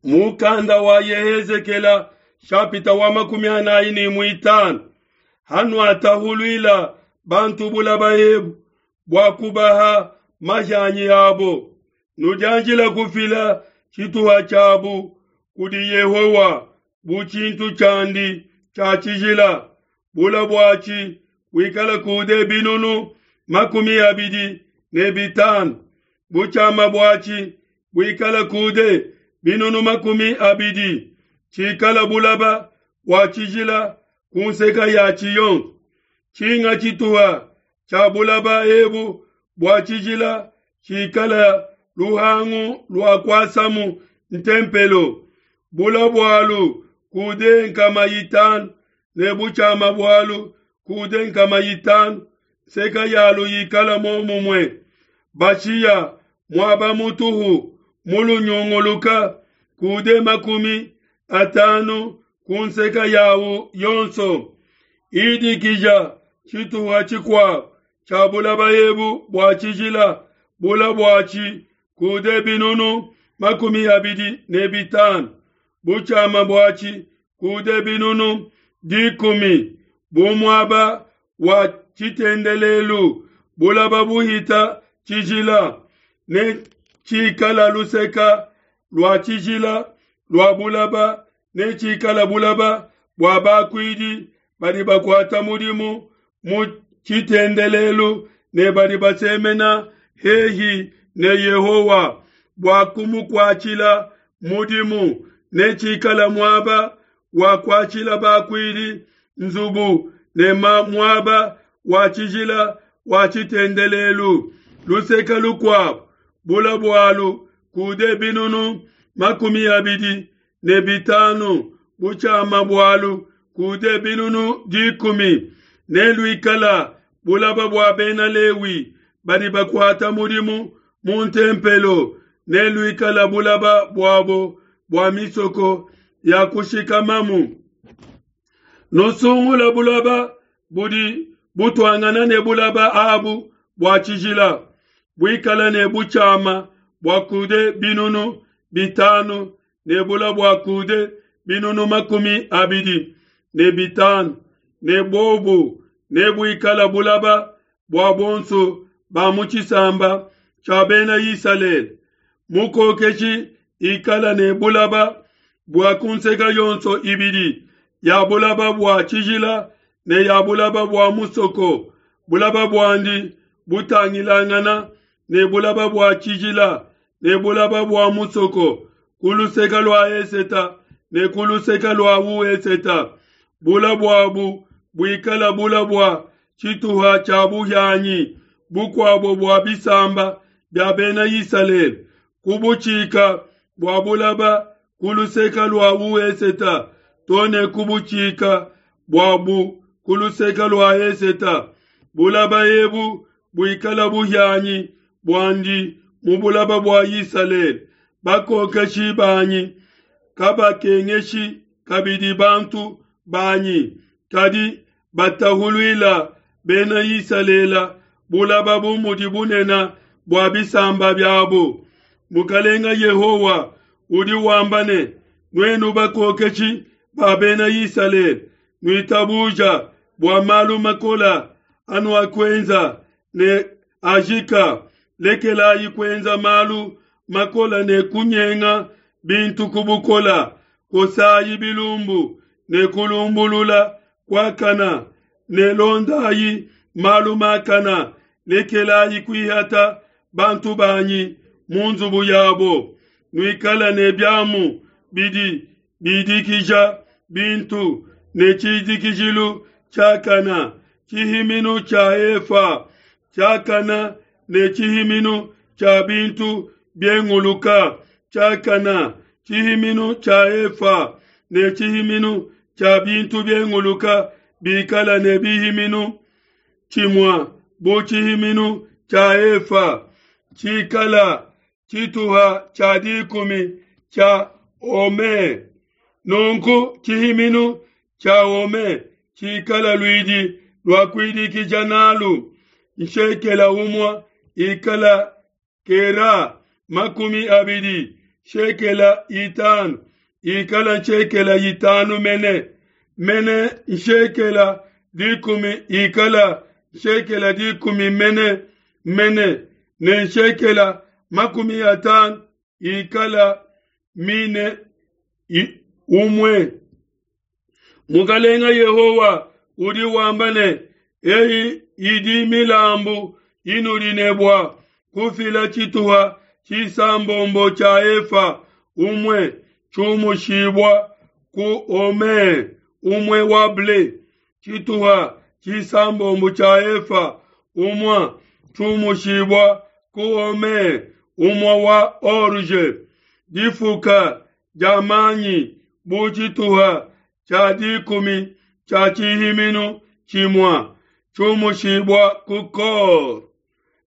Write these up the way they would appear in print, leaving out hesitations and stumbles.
Mukanda wa Yehezekela shapita wa 45. Hanuatahuluila bantu bulaba ebu bua kubaha majanyi abo, nudianjila kufila tshituha tshiabu kudi Yehowa bu tshintu tshiandi tshia tshijila. Bula buatshi buikala kude 25 000, butshiama buatshi buikala kude 20 000, tshikala bulaba bua tshijila ku nseka ya tshiyonso. Tshinga tshituha tshia bulaba ebu bua tshijila tshikala luhangu lua kuasamu ntempelo, bula bualu kude 500 ne butshiama bualu kude 500, nseka yalu yikala momumue. Bashiya muaba mutuhu mulunyunguluka kude 50 ku nseka yawu yonso. Idikija tshituha tshikuabu tshia bulaba ebu bua tshijila, bula buatshi kude 25 000, butshiama buatshi kude 10 000, bu muaba wa tshitendelelu, bulaba buhita tshijila, ne tshikala luseka lua tshijila lua bulaba, ne tshikala bulaba bua bakuidi badi bakuata mudimu mu tshitendelelu ne badi basemena hehi ne Yehowa bua kumukuatshila mudimu, ne tshikala muaba wa kuatshila bakuidi nzubu ne muaba wa tshijila wa tshitendelelu. Luseka lukuabu bula bualu kude 25 000, butshiama bualu kude 10 000, ne luikala bulaba bua bena Lewi badi bakuata mudimu mu ntempelo, ne luikala bulaba buabo bua misoko ya kushikamamu. Nusungula bulaba budi butuangana ne bulaba abu bua tshijila, buikala ne butshiama bua kude 5 000 ne bula bua kude 25 000, ne bobu ne buikala bulaba bua bonso ba mu tshisamba tshia bena Isalele. Mukokeshi ikala ne bulaba bua ku nseka yonso ibidi ya bulaba bua tshijila ne ya bulaba bua musoko, bulaba buandi butangilangana ne bulaba bua tshijila ne bulaba bua musoko, ku luseka lua eseta ne ku luseka lua ueseta. Bula buabu buikala bula bua tshituha tshia buhianyi bukuabo bua bisamba bia bena Isalele, ku butshika bua bulaba ku luseka lua ueseta to ne ku butshika buabu ku luseka lua eseta. Bulaba ebu buikala buhianyi buandi mu bulaba bua Isalele. Bakokeshi banyi kabakengeshi kabidi bantu banyi, kadi batahuluila bena Isalele bulaba bu mudi bunene bua bisamba biabo. Mukalenga Yehowa udi wamba ne, nuenu bakokeshi ba bena Isalele, nuitabuja bua malu makola anuakuenza ne ajika, lekelayi kuenza malu makola ne kunyenga bintu ku bukola, kosayi bilumbu ne kulumbulula kuakana, ne londayi malu makana, lekelayi kuihata bantu banyi mu nzubu yabo. Nuikala ne biamu bidi bidikija bintu ne tshidikijilu tshiakana, tshihiminu tshia efa tshiakana ne tshihiminu tshia bintu bienguluka tshiakana, tshihiminu tshia efa ne tshihiminu tshia bintu bienguluka bikala ne bihiminu tshimua bu tshihiminu tshia efa, tshikala tshituha tshia dikumi tshia ome. Nunku tshihiminu tshia ome tshikala luidi lua kuidikija nalu, nshekela umue ikala kera 20. nshekela itanu ikala nshekela itanu mene, mene nshekela dikumi ikala nshekela dikumi mene mene, ne nshekela makumi atanu ikala mine umue. Mukalenga Yehowa udi wamba ne, Eyi idi milambu inudi ne bua kufila tshituha tshisambombo tshia efa umue tshiumushibua ku homer umue wa ble, tshituha tshisambombo tshia efa umue tshiumushibua ku homer umue wa orge, difuka dia manyi bu tshituha tshia dikumi tshia tshihiminu tshimue tshiumushibua ku kor.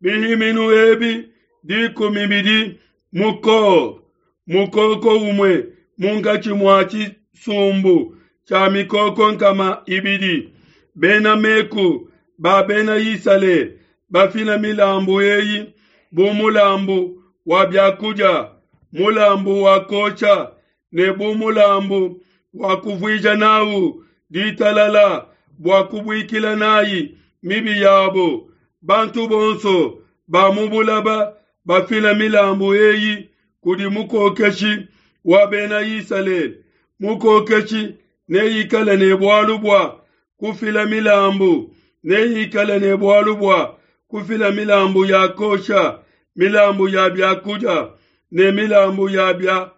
Bihiminu ebi dikumi bidi mu kor, mukoko umue munkatshi mua tshisumbu tshia mikoko nkama ibidi. Bena meku ba bena Isalele bafila milambu eyi bu mulambu wa biakudia, mulambu wa kuosha ne bu mulambu wa kuvuija nawu ditalala bua kubuikila nayi mibi yabo. Bantu bonso ba mu bulaba bafila milambu eyi kudi mukokeshi wa bena Isalele. Mukokeshi neikale ne bualu bua kufila milambu, neikale ne bualu bua kufila milambu ya kosha, milambu ya biakudia ne milambu ya bia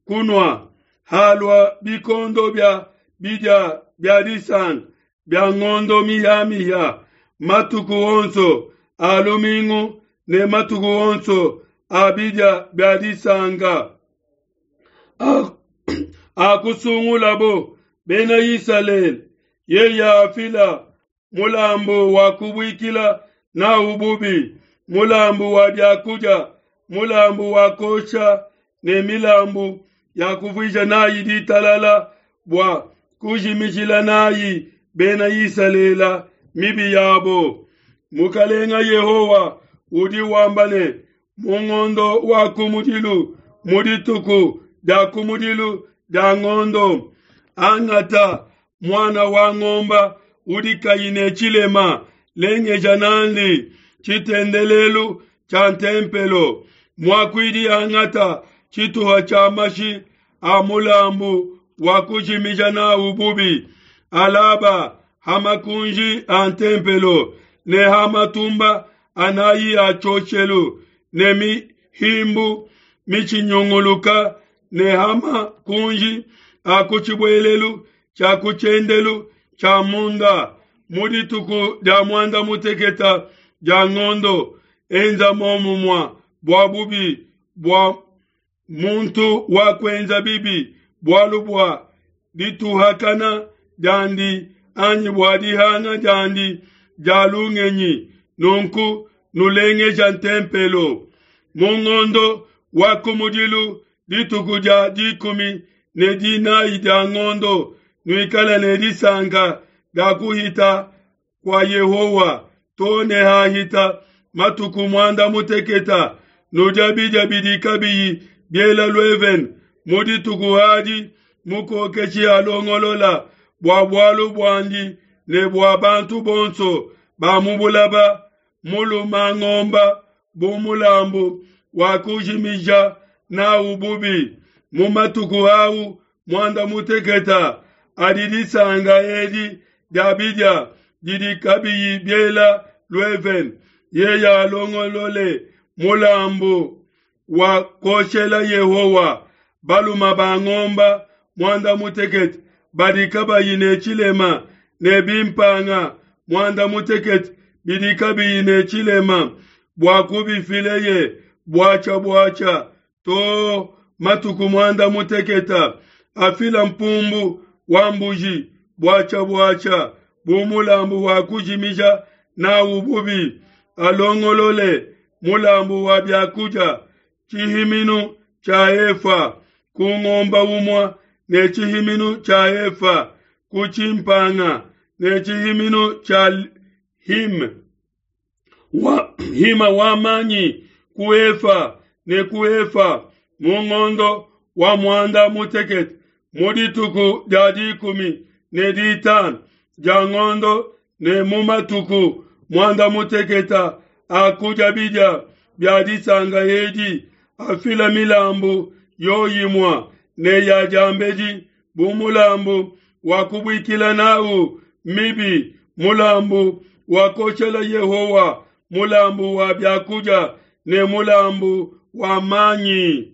kunua. Halua bikondo bia bidia bia disanka bia ngondo mihia-mihia, matuku onso a lumingu ne matuku onso a bidia bia disanka a kusungulabo bena Isalele, yeye afila mulambu wa kubuikila nawu bubi, mulambu wa biakudia, mulambu wa kosha ne milambu ya kuvuija nayi ditalala bua kujimijila nayi bena Isalele mibi yabo. Mukalenga Yehowa udi wamba ne, mu ngondo wa kumudilu, mu dituku dia kumudilu dia ngondo, angata muana wa ngomba udi kayi ne tshilema, lengeja nandi tshitendelelu tshia ntempelo. Muakuidi angata tshituha tshia mashi a mulambu wa kujimija nawu bubi, alaba ha makunji a ntempelo ne ha matumba anayi a tshioshelu ne mihimbu mitshinyunguluka ne ha makunji a ku tshibuelelu tshia ku tshiendelu tshia munda. Mu dituku dia muanda muteketa dia ngondo, enza momumua bua bubi bua muntu wa kuenza bibi, bualu bua dituhakana diandi anyi bua dihanga diandi dia lungenyi, nunku nulengeja ntempelo. Mu ngondo wa kumudilu, dituku dia dikumi ne dinayi dia ngondo, nuikale ne disanka dia kuhita kua Yehowa to ne hahita matuku muanda muteketa, nudia bidia bidi kabiyi biela luevene. Mu dituku adi mukokeshi alongolola bua bualu buandi ne bua bantu bonso ba mu bulaba muluma ngomba bu mulambu wa kujimija nawu bubi. Mu matuku au muanda muteketa adi disanka edi dia bidia didi kabiyi biela luevene, yeye alongolole mulambu wa kuoshela Yehowa baluma ba ngomba muanda mutekete badi kabayi ne tshilema ne bimpanga muanda mutekete bidi kabiyi ne tshilema, bua kubifileye buatshia buatshia to matuku muanda muteketa. Afila mpumbu wa mbuji buatshia buatshia bu mulambu wa kujimija nawu bubi. Alongolole mulambu wa biakudia tshihiminu tshia efa ku ngomba umue ne tshihiminu tshia efa ku tshimpanga ne tshihiminu tshia him wa hima wa manyi ku efa ne ku efa. Mu ngondo wa muanda mutekete, mu dituku dia 15 dia ngondo ne mu matuku muanda mutekete a kudia bidia bia disanka edi, afila milambu yoyimua ne ya diambedi bu mulambu wa kubuikila nawu mibi, mulambu wa koshela Yehowa, mulambu wa biakudia ne mulambu wa manyi.